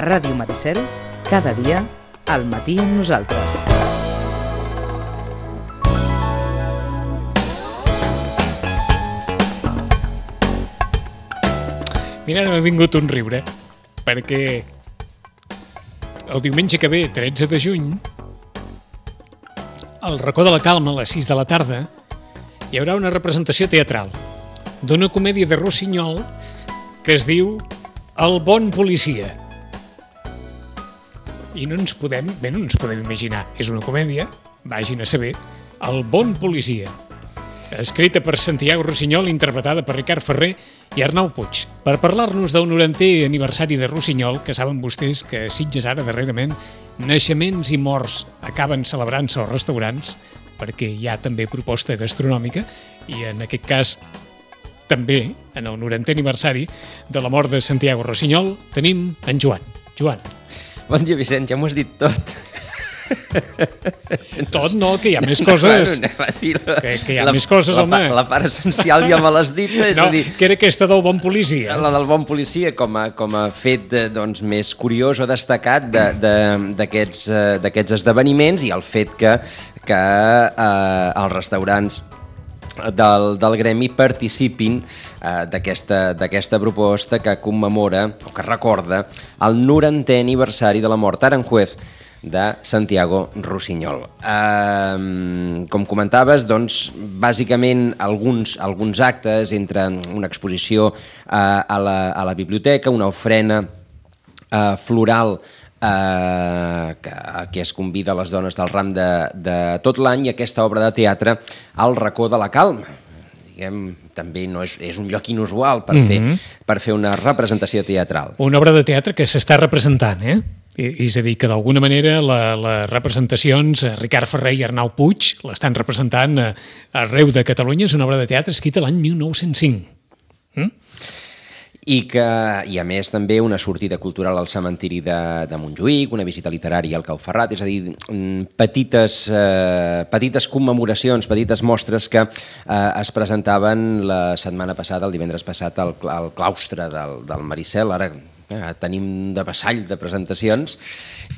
Ràdio Maricel, cada dia, al matí amb nosaltres. Mira, m'ha vingut un riure, perquè el diumenge que ve, 13 de juny, al Racó de la Calma, a les 6 de la tarda, hi haurà una representació teatral d'una comèdia de Rossinyol que es diu El bon policia. I no ens podem imaginar. És una comèdia, vagin a saber, El bon policia. Escrita per Santiago Rossinyol, interpretada per Ricard Ferrer i Arnau Puig. Per parlar-nos del 90è aniversari de Rossinyol, que saben vostès que a Sitges ara, darrerament, naixements i morts acaben celebrant-se als restaurants, perquè hi ha també proposta gastronòmica, i en aquest cas també, en el 90è aniversari de la mort de Santiago Rossinyol, tenim en Joan. Joan. Bon dia, Vicent, ja m'ho has dit tot. Tot no, que hi ha més coses. Que hi ha més coses, home. La part essencial ja me l'has dit. No, que era aquesta del bon policia. La del bon policia, com a fet més curiós o destacat d'aquests esdeveniments, i el fet que els restaurants del gremi participin d'aquesta proposta que commemora o que recorda el 90è aniversari de la mort a Aranjuez de Santiago Rossinyol. Com comentaves, doncs, bàsicament alguns actes, entre una exposició a la biblioteca, una ofrena floral que es convida a les dones del ram de tot l'any, i aquesta obra de teatre al Racó de la Calma. Diguem, també no és un lloc inusual per fer una representació teatral. Una obra de teatre que s'està representant, És a dir, que d'alguna manera les representacions, Ricard Ferrer i Arnau Puig l'estan representant arreu de Catalunya. És una obra de teatre escrita l'any 1905. I a més també una sortida cultural al cementiri de Montjuïc, una visita literària al Cau Ferrat, és a dir, petites commemoracions, petites mostres que es presentaven la setmana passada, el divendres passat, al claustre del Maricel. Ara tenim de vassall de presentacions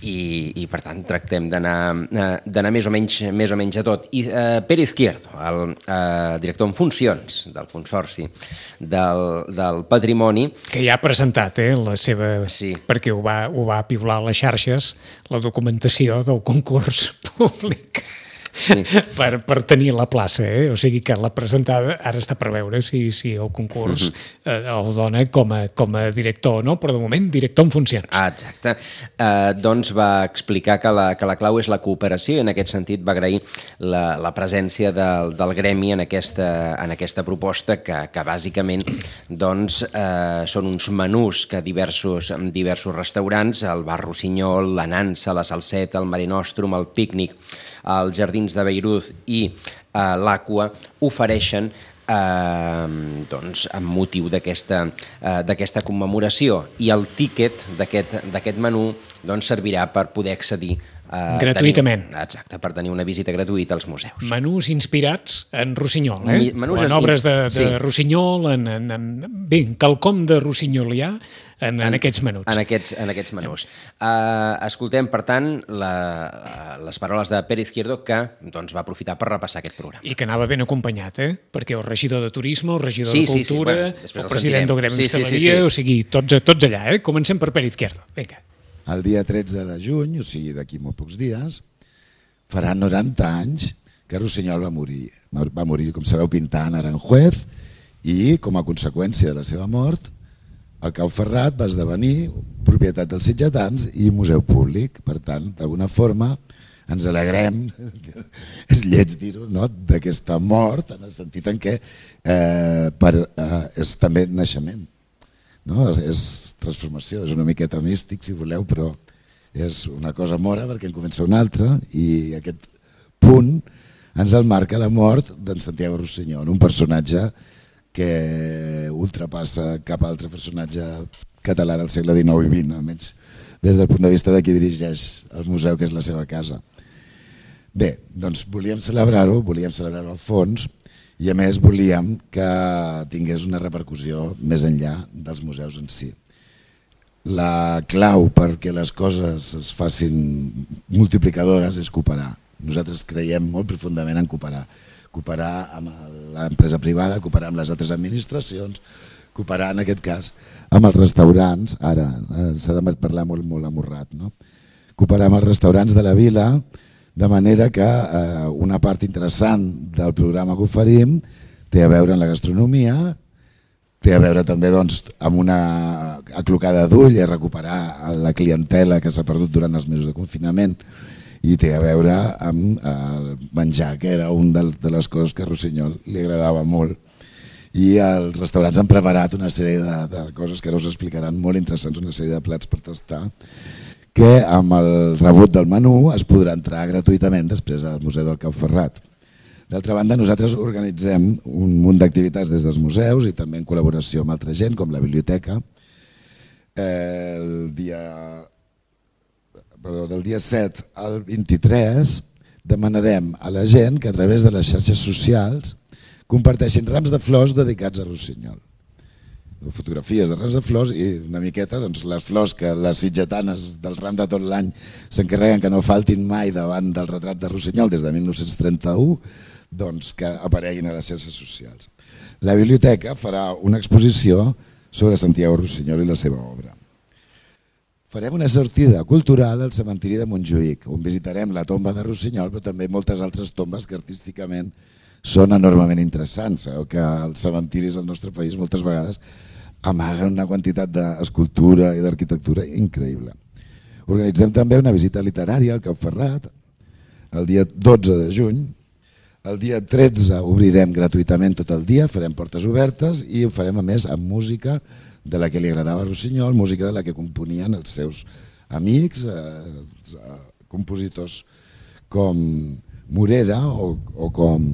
i per tant tractem d'anar més o menys a tot. I Pere Izquierdo, el director en funcions del Consorci del Patrimoni, que ja ha presentat la seva... Sí. Perquè ho va piular a les xarxes, la documentació del concurs públic. Sí. per tenir la plaça, O sigui que la presentada ara està per veure si el concurs el dona com a director, no? Però de moment director en funcions. Exacte. Doncs va explicar que la clau és la cooperació, i en aquest sentit va agrair la presència del gremi en aquesta proposta que bàsicament doncs, són uns menús que diversos restaurants, el Bar Rossinyol, la Nansa, la Salseta, el Mare Nostrum, el Pícnic, els Jardins de Beirut i l'Aqua ofereixen doncs, amb motiu d'aquesta commemoració, i el tíquet d'aquest menú doncs, servirà per poder accedir gratuïtament. Exacte, per tenir una visita gratuïta als museus. Menús inspirats en Rossinyol, en obres de Rossinyol, bé, quelcom de rossinyolià en aquests menús. En aquests menús. Escoltem, per tant, les paraules de Pere Izquierdo, que doncs, va aprofitar per repassar aquest programa. I que anava ben acompanyat, perquè el regidor de Turisme, el regidor de Cultura, el president del Gremi d'Hostaleria, o sigui, tots allà. Comencem per Pere Izquierdo. Vinga. El dia 13 de juny, o sigui d'aquí molt pocs dies, farà 90 anys que Rossinyol va morir. Va morir, com sabeu, pintant Aranjuez, i com a conseqüència de la seva mort, el Cau Ferrat va esdevenir propietat dels sitgetans i museu públic. Per tant, d'alguna forma, ens alegrem, és lleig dir-ho, no?, d'aquesta mort, en el sentit en què és també naixement. No? És transformació, és una miqueta místic, si voleu, però és una cosa mora perquè en comença una altra, i aquest punt ens el marca la mort d'en Santiago Rossinyol, un personatge que ultrapassa cap altre personatge català del segle XIX i XX, almenys des del punt de vista de qui dirigeix el museu, que és la seva casa. Bé, doncs volíem celebrar-ho al fons, i a més volíem que tingués una repercussió més enllà dels museus en si. la clau perquè les coses es facin multiplicadores és cooperar. Nosaltres creiem molt profundament en cooperar. Cooperar amb l'empresa privada, cooperar amb les altres administracions, cooperar en aquest cas amb els restaurants, ara s'ha de parlar molt amorrat, no? Cooperar amb els restaurants de la vila, de manera que una part interessant del programa que oferim té a veure amb la gastronomia, té a veure també amb una aclocada d'ull i recuperar la clientela que s'ha perdut durant els mesos de confinament, i té a veure amb el menjar, que era una de les coses que a Rossinyol li agradava molt. I els restaurants han preparat una sèrie de coses que ara us explicaran, molt interessants, una sèrie de plats per tastar, que amb el rebut del menú es podrà entrar gratuïtament després al Museu del Cau Ferrat. D'altra banda, nosaltres organitzem un munt d'activitats des dels museus i també en col·laboració amb altra gent, com la biblioteca. Del dia 7 al 23 demanarem a la gent que a través de les xarxes socials comparteixin rams de flors dedicats a Rossinyol. Fotografies de rams de flors i una miqueta les flors que les sitgetanes del ram de tot l'any s'encarreguen que no faltin mai davant del retrat de Rossinyol des de 1931, que apareguin a les xarxes socials. La biblioteca farà una exposició sobre Santiago Rossinyol i la seva obra. Farem una sortida cultural al cementiri de Montjuïc, on visitarem la tomba de Rossinyol, però també moltes altres tombes que artísticament són enormement interessants. Sabeu que els cementiris al nostre país moltes vegades amaguen una quantitat d'escultura i d'arquitectura increïble. Organitzem també una visita literària al Cau Ferrat el dia 12 de juny. El dia 13 obrirem gratuïtament tot el dia, farem portes obertes i ho farem a més amb música de la que li agradava a Rossinyol, música de la que componien els seus amics, compositors com Morera o com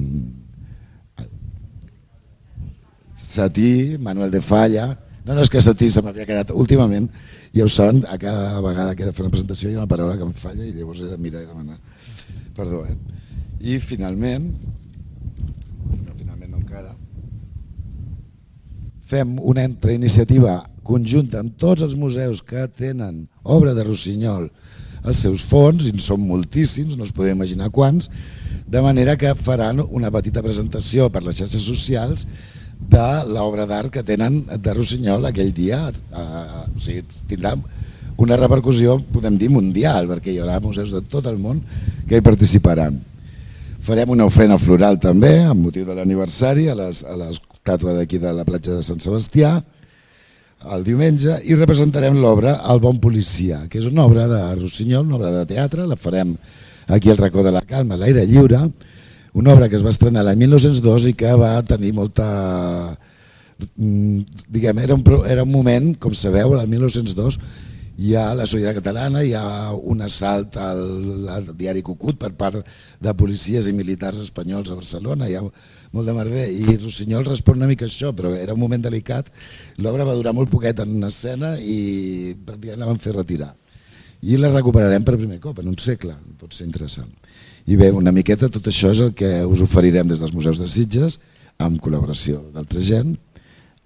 Satí, Manuel de Falla. No, és que Satí se m'havia quedat últimament, ja ho saben, a cada vegada que he de fer una presentació hi ha una paraula que em falla i llavors he de mirar i demanar perdó. I finalment no encara, fem una iniciativa conjunta amb tots els museus que tenen obra de Rossinyol als seus fons, i en són moltíssims, no us podeu imaginar quants, de manera que faran una petita presentació per les xarxes socials de l'obra d'art que tenen de Rossinyol aquell dia. O sigui, tindrà una repercussió, podem dir, mundial, perquè hi haurà museus de tot el món que hi participaran. Farem una ofrena floral també, amb motiu de l'aniversari, a l'estàtua d'aquí de la platja de Sant Sebastià, el diumenge, i representarem l'obra El bon policia, que és una obra de Rossinyol, una obra de teatre, la farem aquí al racó de la Calma, a l'aire lliure, una obra que es va estrenar l'any 1902 i que va tenir molta... Diguem, era un moment, com sabeu, el 1902, hi ha la Solidaritat Catalana, hi ha un assalt al diari Cucut per part de policies i militars espanyols a Barcelona, hi ha molt de merder, i Rossinyol respon una mica a això, però era un moment delicat. L'obra va durar molt poquet en escena i pràcticament la van fer retirar. I la recuperarem per primer cop, en un segle, pot ser interessant. I bé, una miqueta tot això és el que us oferirem des dels museus de Sitges, amb col·laboració d'altra gent,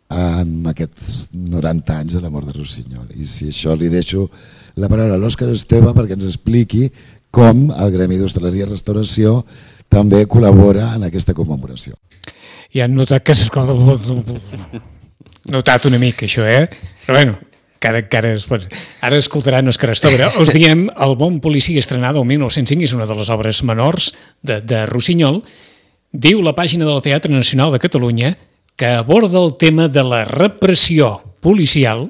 en aquests 90 anys de la mort de Rossinyol. I si això li deixo la paraula a l'Òscar Esteve perquè ens expliqui com el Gremi d'Hostaleria i Restauració també col·labora en aquesta commemoració. Ja han notat que s'escolta... Notat una mica això, Però bueno, ara escoltaran Òscar Esteve. Us diem El bon policia, estrenada el 1905, és una de les obres menors de Rossinyol. Diu la pàgina del Teatre Nacional de Catalunya que aborda el tema de la repressió policial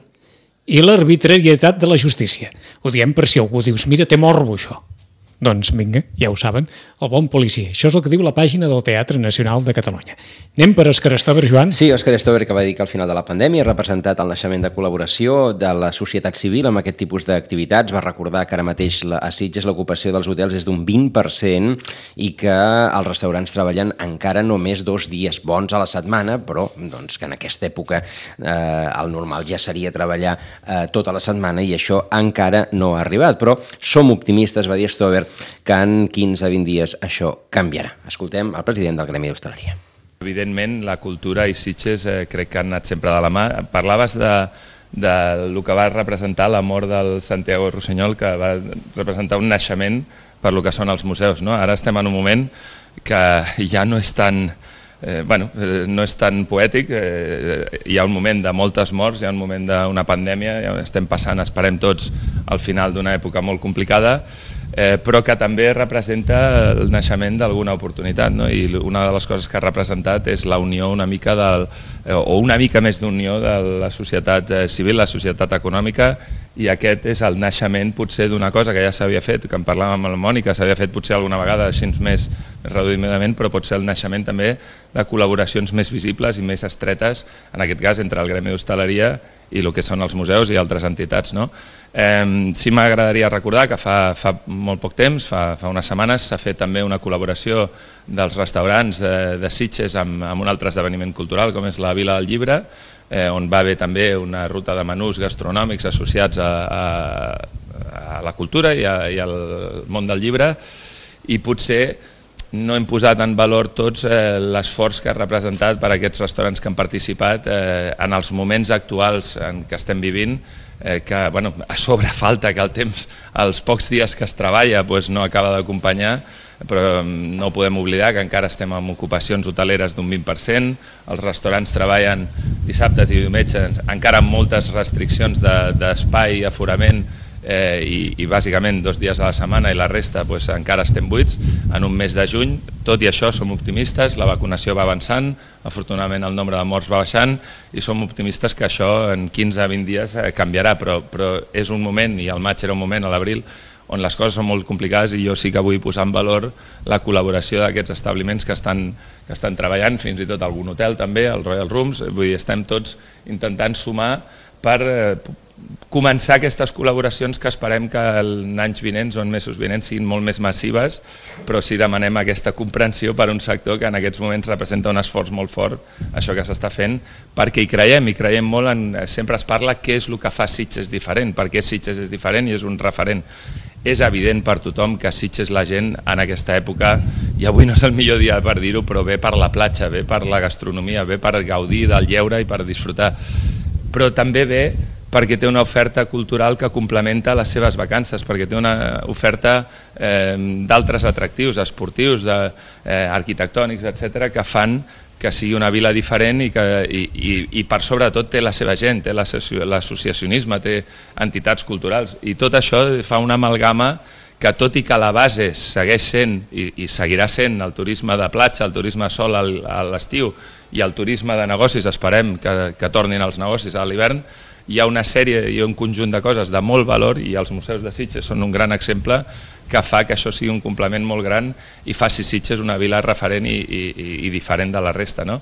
i l'arbitrarietat de la justícia. Ho diem per si algú dius, mira, té morbo això. Doncs vinga, ja ho saben, El bon policia. Això és el que diu la pàgina del Teatre Nacional de Catalunya. Anem per Òscar Esteve, Joan? Sí, Òscar Esteve, que va dir que al final de la pandèmia ha representat el naixement de col·laboració de la societat civil amb aquest tipus d'activitats. Va recordar que ara mateix a Sitges l'ocupació dels hotels és d'un 20% i que els restaurants treballen encara només 2 dies bons a la setmana, però doncs, que en aquesta època el normal ja seria treballar tota la setmana i això encara no ha arribat. Però som optimistes, va dir Esteve, que en 15 a 20 dies això canviarà. Escoltem el president del Gremi d'Hostaleria. Evidentment, la cultura i Sitges crec que han anat sempre de la mà. Parlaves del que va representar la mort del Santiago Rossinyol, que va representar un naixement per lo que són els museus, no? Ara estem en un moment que ja no és tan... no és tan poètic, hi ha un moment de moltes morts, hi ha un moment d'una pandèmia, ja estem passant, esperem tots, al final d'una època molt complicada, però que també representa el naixement d'alguna oportunitat, no? I una de les coses que ha representat és la unió una mica o una mica més d'unió de la societat civil, la societat econòmica, i aquest és el naixement potser d'una cosa que ja s'havia fet, que en parlàvem amb la Mònica, s'havia fet potser alguna vegada així més reduïdament, però pot ser el naixement també de col·laboracions més visibles i més estretes, en aquest cas entre el gremi d'hostaleria i el que són els museus i altres entitats, no? Sí m'agradaria recordar que fa molt poc temps, fa unes setmanes, s'ha fet també una col·laboració dels restaurants de Sitges amb un altre esdeveniment cultural com és la Vila del Llibre, on va haver també una ruta de menús gastronòmics associats a la cultura i al món del llibre, i potser no hem posat en valor tots l'esforç que ha representat per aquests restaurants que han participat en els moments actuals en què estem vivint, que a sobre falta que el temps, els pocs dies que es treballa no acaba d'acompanyar, però no podem oblidar que encara estem amb ocupacions hoteleres d'un 20%, els restaurants treballen dissabtes i diumenges encara amb moltes restriccions d'espai i aforament, i bàsicament 2 dies a la setmana, i la resta encara estem buits en un mes de juny. Tot i això som optimistes, la vacunació va avançant, afortunadament el nombre de morts va baixant i som optimistes que això en 15-20 dies canviarà, però és un moment, i el maig era un moment, a l'abril, on les coses són molt complicades, i jo sí que vull posar en valor la col·laboració d'aquests establiments que estan treballant, fins i tot algun hotel també, el Royal Rooms. Vull dir, estem tots intentant sumar per començar aquestes col·laboracions que esperem que els anys vinents o en mesos vinents siguin molt més massives, però sí demanem aquesta comprensió per un sector que en aquests moments representa un esforç molt fort, això que s'està fent, perquè hi creiem molt en... Sempre es parla què és el que fa Sitges diferent, perquè Sitges és diferent i és un referent. És evident per tothom que Sitges la gent en aquesta època, i avui no és el millor dia per dir-ho, però ve per la platja, ve per la gastronomia, ve per gaudir del lleure i per disfrutar, però també ve perquè té una oferta cultural que complementa les seves vacances, perquè té una oferta d'altres atractius, esportius, arquitectònics, etc., que fan que sigui una vila diferent i per sobretot té la seva gent, té l'associacionisme, té entitats culturals, i tot això fa una amalgama que, tot i que la base segueix sent i seguirà sent el turisme de platja, el turisme sol a l'estiu i el turisme de negocis, esperem que tornin els negocis a l'hivern, hi ha una sèrie i un conjunt de coses de molt valor, i els museus de Sitges són un gran exemple que fa que això sigui un complement molt gran i faci Sitges una vila referent i diferent de la resta, no?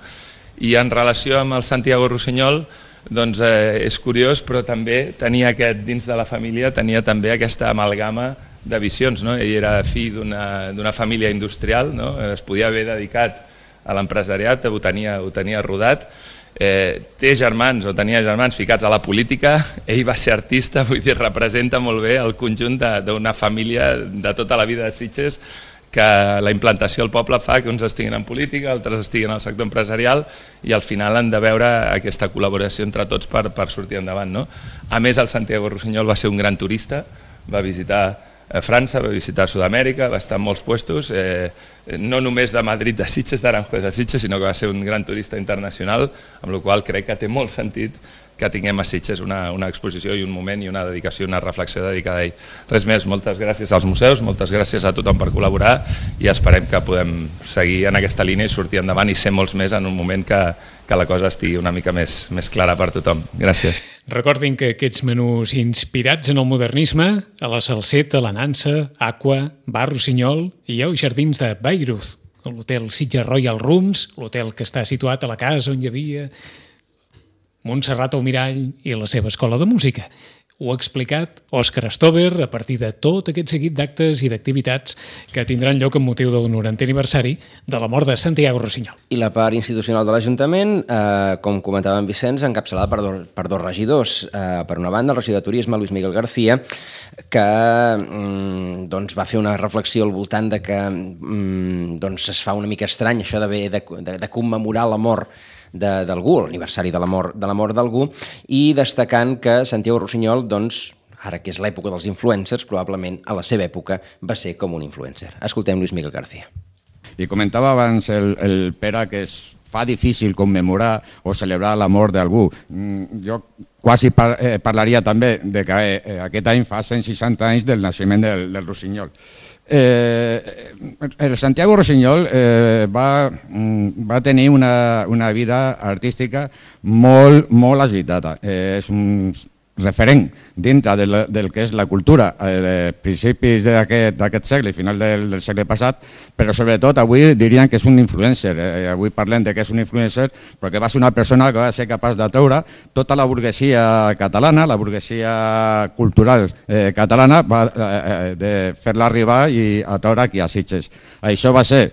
I en relació amb el Santiago Rossinyol, doncs és curiós, però també tenia dins de la família tenia també aquesta amalgama de visions, no? Ell era fill d'una família industrial, no? Es podia haver dedicat a l'empresariat, ho tenia rodat, té germans o tenia germans ficats a la política, ell va ser artista, vull dir, representa molt bé el conjunt d'una família de tota la vida de Sitges, que la implantació al poble fa que uns estiguin en política, altres estiguin al sector empresarial, i al final han de veure aquesta col·laboració entre tots per sortir endavant, no? A més, el Santiago Rossinyol va ser un gran turista, va visitar França, va visitar Sud-amèrica, va estar en molts puestos, no només de Madrid, de Sitges, d'Aranjuez de Sitges, sinó que va ser un gran turista internacional, amb la qual cosa crec que té molt sentit que tinguem a Sitges una exposició i un moment i una dedicació, una reflexió dedicada a ell. Res més, moltes gràcies als museus, moltes gràcies a tothom per col·laborar, i esperem que podem seguir en aquesta línia i sortir endavant i ser molts més en un moment que la cosa estigui una mica més clara per tothom. Gràcies. Recordin que aquests menús inspirats en el modernisme, a la Salseta, la Nansa, Aqua, Bar Rossinyol i els jardins de Bayreuth, l'hotel Sitges Royal Rooms, l'hotel que està situat a la casa on hi havia Montserrat Almirall i la seva escola de música. ho ha explicat Òscar Stover a partir de tot aquest seguit d'actes i d'activitats que tindran lloc amb motiu del 90è aniversari de la mort de Santiago Rusiñol. I la part institucional de l'Ajuntament, com comentava en Vicenç, encapçalada per dos regidors. Per una banda, el regidor de Turisme, Luis Miguel García, que va fer una reflexió al voltant de que es fa una mica estrany això de commemorar la mort d'algú, l'aniversari de la mort d'algú, i destacant que Santiago Rusiñol, ara que és l'època dels influencers, probablement a la seva època va ser com un influencer. Escoltem Luis Miguel García. I comentava abans el Pere que es fa difícil commemorar o celebrar la mort d'algú. Jo quasi parlaria també de que aquest any fa 160 anys del naixement del Rusiñol. El Santiago Rusiñol va tenir una vida artística molt agitada. És un referent dintre del que és la cultura de principis d'aquest segle i final del segle passat, però sobretot avui dirien que és un influencer. Avui parlem de que és un influencer perquè va ser una persona que va ser capaç de treure tota la burguesia catalana, la burguesia cultural catalana, de fer-la arribar i atraure aquí a Sitges. Això va ser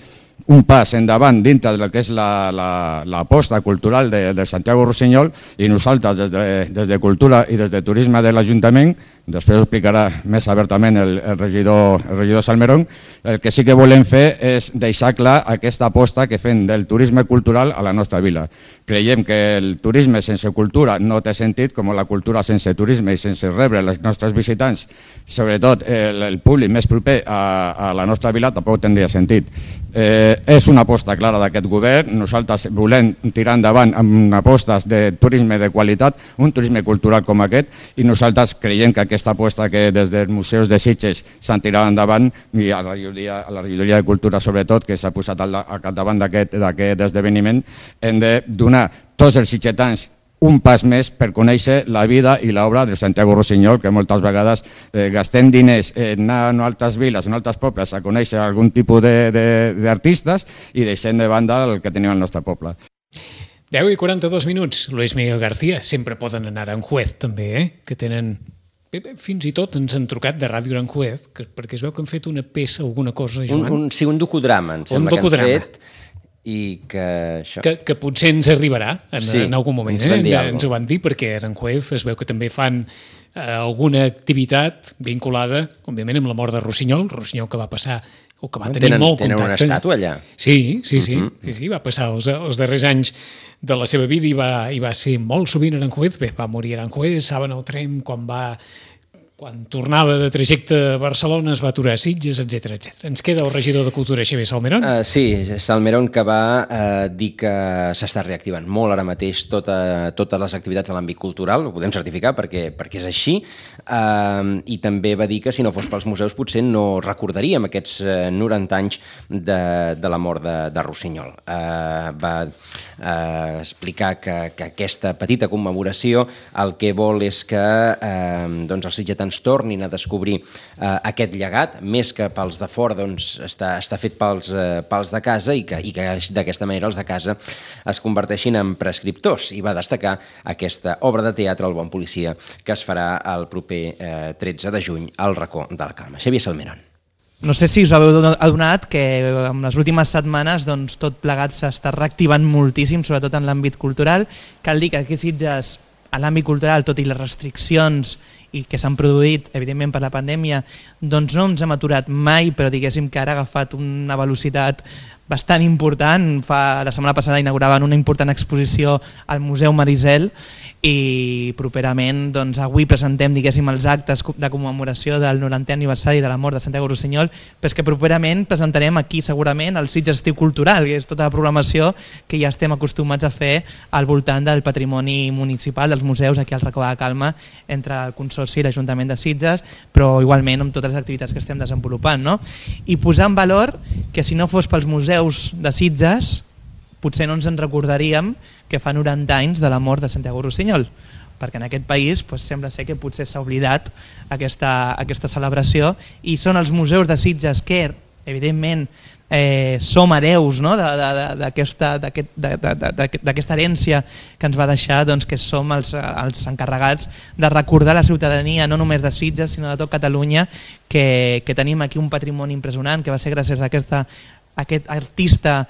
un pas endavant dintre del que és l'aposta cultural de Santiago Rusiñol, i nosaltres des de Cultura i des de Turisme de l'Ajuntament, després ho explicarà més obertament el regidor Salmerón, el que sí que volem fer és deixar clar aquesta aposta que fem del turisme cultural a la nostra vila. Creiem que el turisme sense cultura no té sentit, com la cultura sense turisme i sense rebre els nostres visitants, sobretot el públic més proper a la nostra vila, tampoc tindria sentit. És una aposta clara d'aquest govern. Nosaltres volem tirar endavant amb apostes de turisme de qualitat, un turisme cultural com aquest, i nosaltres creiem que aquesta aposta que des dels museus de Sitges s'han tirat endavant, i a la regidoria de Cultura sobretot, que s'ha posat al capdavant d'aquest esdeveniment, hem de donar tots els sitgetans un pas més per conèixer la vida i l'obra de Santiago Rusiñol, que moltes vegades gastem diners en anar a altres viles, en altres pobles, a conèixer algun tipus d'artistes i deixem de banda el que tenim al nostre poble. 10 i 42 minuts. Luis Miguel García. Sempre poden anar a Aranjuez, també, que tenen... Fins i tot ens han trucat de Ràdio Aranjuez, perquè es veu que han fet una peça, alguna cosa, Joan. Sí, un docudrama, em sembla que han fet. I que potser ens arribarà en algun moment. Ens ho van dir, perquè a Aranjuez es veu que també fan alguna activitat vinculada, òbviament, amb la mort de Rusiñol que va passar, o que va tenir molt contacte. Tenen una estàtua allà. Sí, va passar els darrers anys de la seva vida i va ser molt sovint a Aranjuez. Bé, va morir a Aranjuez, saben el tren quan tornava de trajecte a Barcelona, es va aturar a Sitges, etc. Ens queda el regidor de Cultura, Xavier Salmerón. Sí, Salmerón, que va dir que s'està reactivant molt ara mateix totes les activitats de l'àmbit cultural, ho podem certificar perquè és així, i també va dir que si no fos pels museus potser no recordaríem aquests 90 anys de la mort de Rusiñol. Va explicar que aquesta petita commemoració el que vol és que els sitgetans tornin a descobrir aquest llegat, més que pels de fora, està fet pels de casa, i que d'aquesta manera els de casa es converteixin en prescriptors. I va destacar aquesta obra de teatre, El bon policia, que es farà el proper 13 de juny al Racó de la Calma. Xavier Salmerón. No sé si us haveu adonat que en les últimes setmanes tot plegat s'està reactivant moltíssim, sobretot en l'àmbit cultural. Cal dir que aquí a Sitges, a l'àmbit cultural, tot i les restriccions i que s'han produït, evidentment, per la pandèmia, doncs no ens hem aturat mai, però diguéssim que ara ha agafat una velocitat bastant important. La setmana passada inauguraven una important exposició al Museu Marisel i properament avui presentem, diguéssim, els actes de commemoració del 90è aniversari de la mort de Santiago Rusiñol, però és que properament presentarem aquí segurament el Sitges Estiu Cultural, que és tota la programació que ja estem acostumats a fer al voltant del patrimoni municipal, dels museus aquí al Racó de la Calma, entre el Consorci i l'Ajuntament de Sitges, però igualment amb totes les activitats que estem desenvolupant, no? I posar en valor que si no fos pels museus de Sitges, potser no ens en recordaríem que fa 90 anys de la mort de Santiago Rusiñol, perquè en aquest país sembla ser que potser s'ha oblidat aquesta celebració, i són els museus de Sitges que, evidentment, som hereus, no? d'aquesta herència que ens va deixar, doncs, que som els encarregats de recordar la ciutadania, no només de Sitges, sinó de tot Catalunya, que tenim aquí un patrimoni impressionant, que va ser gràcies a aquest artista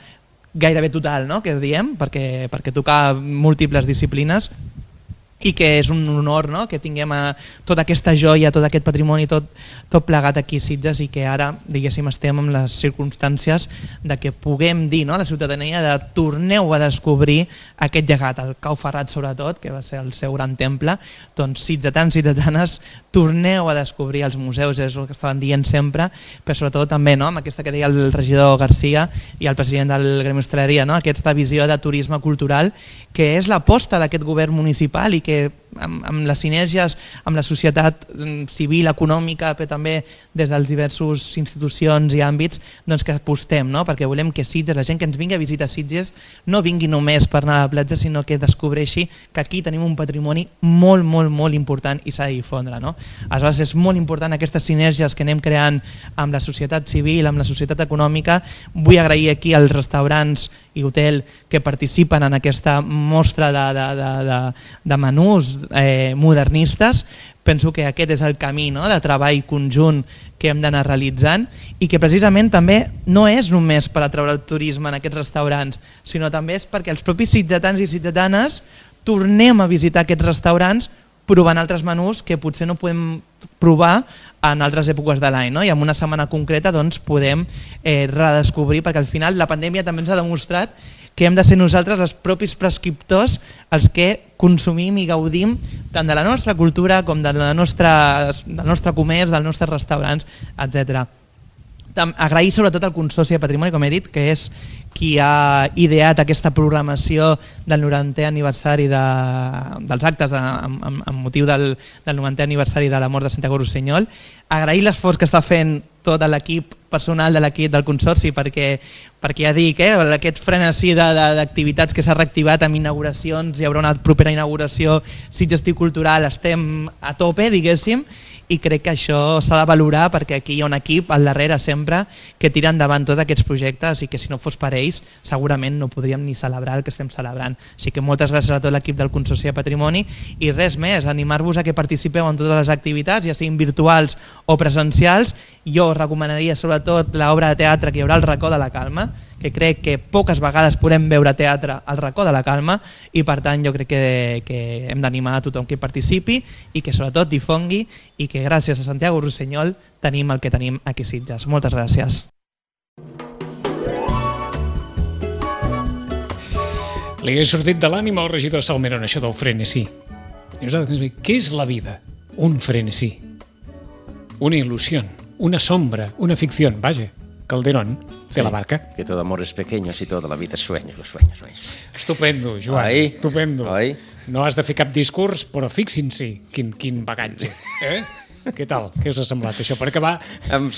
gairebé total, no? que diem, perquè toca múltiples disciplines, i que és un honor, no? que tinguem tota aquesta joia, tot aquest patrimoni, tot plegat aquí a Sitges, i que ara, diguéssim, estem en les circumstàncies de que puguem dir, no? a la ciutadania, de torneu a descobrir aquest llegat, el Cau Ferrat sobretot, que va ser el seu gran temple. Doncs sitgetans, sitzetanes, torneu a descobrir els museus, és el que estaven dient sempre, però sobretot també, no? amb aquesta que deia el regidor Garcia i el president del Gremi d'Hostaleria, no? aquesta visió de turisme cultural, que és l'aposta d'aquest govern municipal i que amb les sinergies amb la societat civil, econòmica, però també des dels diversos institucions i àmbits, doncs que apostem, no? perquè volem que Sitges, la gent que ens vingui a visitar Sitges, no vingui només per anar a la platja, sinó que descobreixi que aquí tenim un patrimoni molt, molt, molt important i s'ha de difondre. No? Aleshores és molt important aquestes sinergies que anem creant amb la societat civil, amb la societat econòmica. Vull agrair aquí als restaurants i hotel que participen en aquesta mostra de menús modernistes. Penso que aquest és el camí, no? de treball conjunt que hem d'anar realitzant, i que precisament també no és només per atraure el turisme en aquests restaurants, sinó també és perquè els propis sitgetans i sitgetanes tornem a visitar aquests restaurants provant altres menús que potser no podem provar en altres èpoques de l'any, no? I en una setmana concreta doncs, podem redescobrir, perquè al final la pandèmia també ens ha demostrat que hem de ser nosaltres els propis prescriptors els que consumim i gaudim tant de la nostra cultura com del nostre comerç, dels nostres restaurants, etc. Agrair sobretot al Consorci de Patrimoni, com he dit, que és qui ha ideat aquesta programació del 90è aniversari dels actes amb motiu del 90è aniversari de la mort de Santiago Rossinyol. Agrair l'esforç que està fent tot l'equip personal de l'equip del Consorci, perquè ja dic, aquest frenesí d'activitats que s'ha reactivat amb inauguracions, hi haurà una propera inauguració, Sitges Cultural, estem a tope, diguéssim, i crec que això s'ha de valorar perquè aquí hi ha un equip al darrere sempre que tira endavant tots aquests projectes i que si no fos per ells segurament no podríem ni celebrar el que estem celebrant. Així que moltes gràcies a tot l'equip del Consorci de Patrimoni i res més, animar-vos a que participeu en totes les activitats, ja siguin virtuals o presencials. Jo recomanaria sobretot l'obra de teatre que hi haurà al Racó de la Calma, que crec que poques vegades podem veure teatre al Racó de la Calma i per tant jo crec que hem d'animar a tothom que participi i que sobretot difongui i que gràcies a Santiago Rossinyol tenim el que tenim aquí a Sitges. Moltes gràcies. Li ha sortit de l'ànima al regidor Salmerón això del frenesí. I nosaltres, què és la vida? Un frenesí. Una il·lusió, una sombra, una ficció. Vaja, Calderón de la Barca. Que todo amor es pequeño, si toda la vida es sueño, sueño. Estupendo, Joan, estupendo. No has de fer cap discurs, però fixin-s'hi quin bagatge. Què tal? Què us ha semblat això? Per acabar amb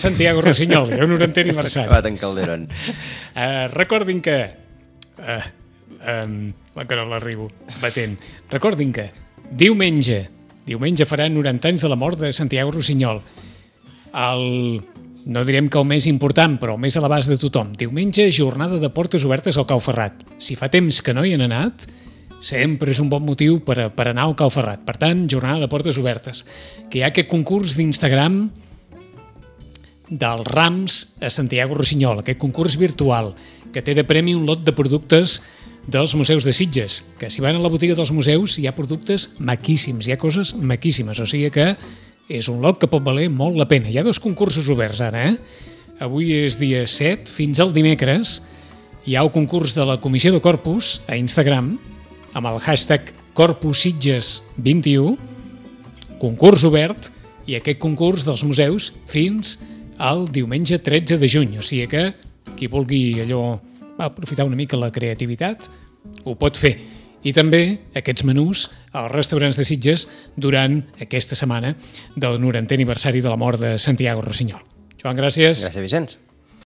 Santiago Rossinyol, el 90è aniversari. Acabat en Calderón. Recordin que... que no l'arribo batent. Recordin que diumenge farà 90 anys de la mort de Santiago Rossinyol. No direm que el més important, però el més a l'abast de tothom. Diumenge, jornada de portes obertes al Cau Ferrat. Si fa temps que no hi han anat, sempre és un bon motiu per anar al Cau Ferrat. Per tant, jornada de portes obertes. Que hi ha aquest concurs d'Instagram dels rams a Santiago Rossinyol, aquest concurs virtual, que té de premi un lot de productes dels museus de Sitges, que si van a la botiga dels museus hi ha productes maquíssims, hi ha coses maquíssimes, o sigui que és un lot que pot valer molt la pena. Hi ha 2 concursos oberts ara, Avui és dia 7, fins al dimecres hi ha el concurs de la Comissió de Corpus a Instagram, amb el hashtag CorpusSitges21, concurs obert, i aquest concurs dels museus fins al diumenge 13 de juny, o sigui que qui vulgui aprofitar una mica la creativitat ho pot fer. I també aquests menús als restaurants de Sitges durant aquesta setmana del 90è aniversari de la mort de Santiago Rossinyol. Joan, gràcies. Gràcies, Vicenç.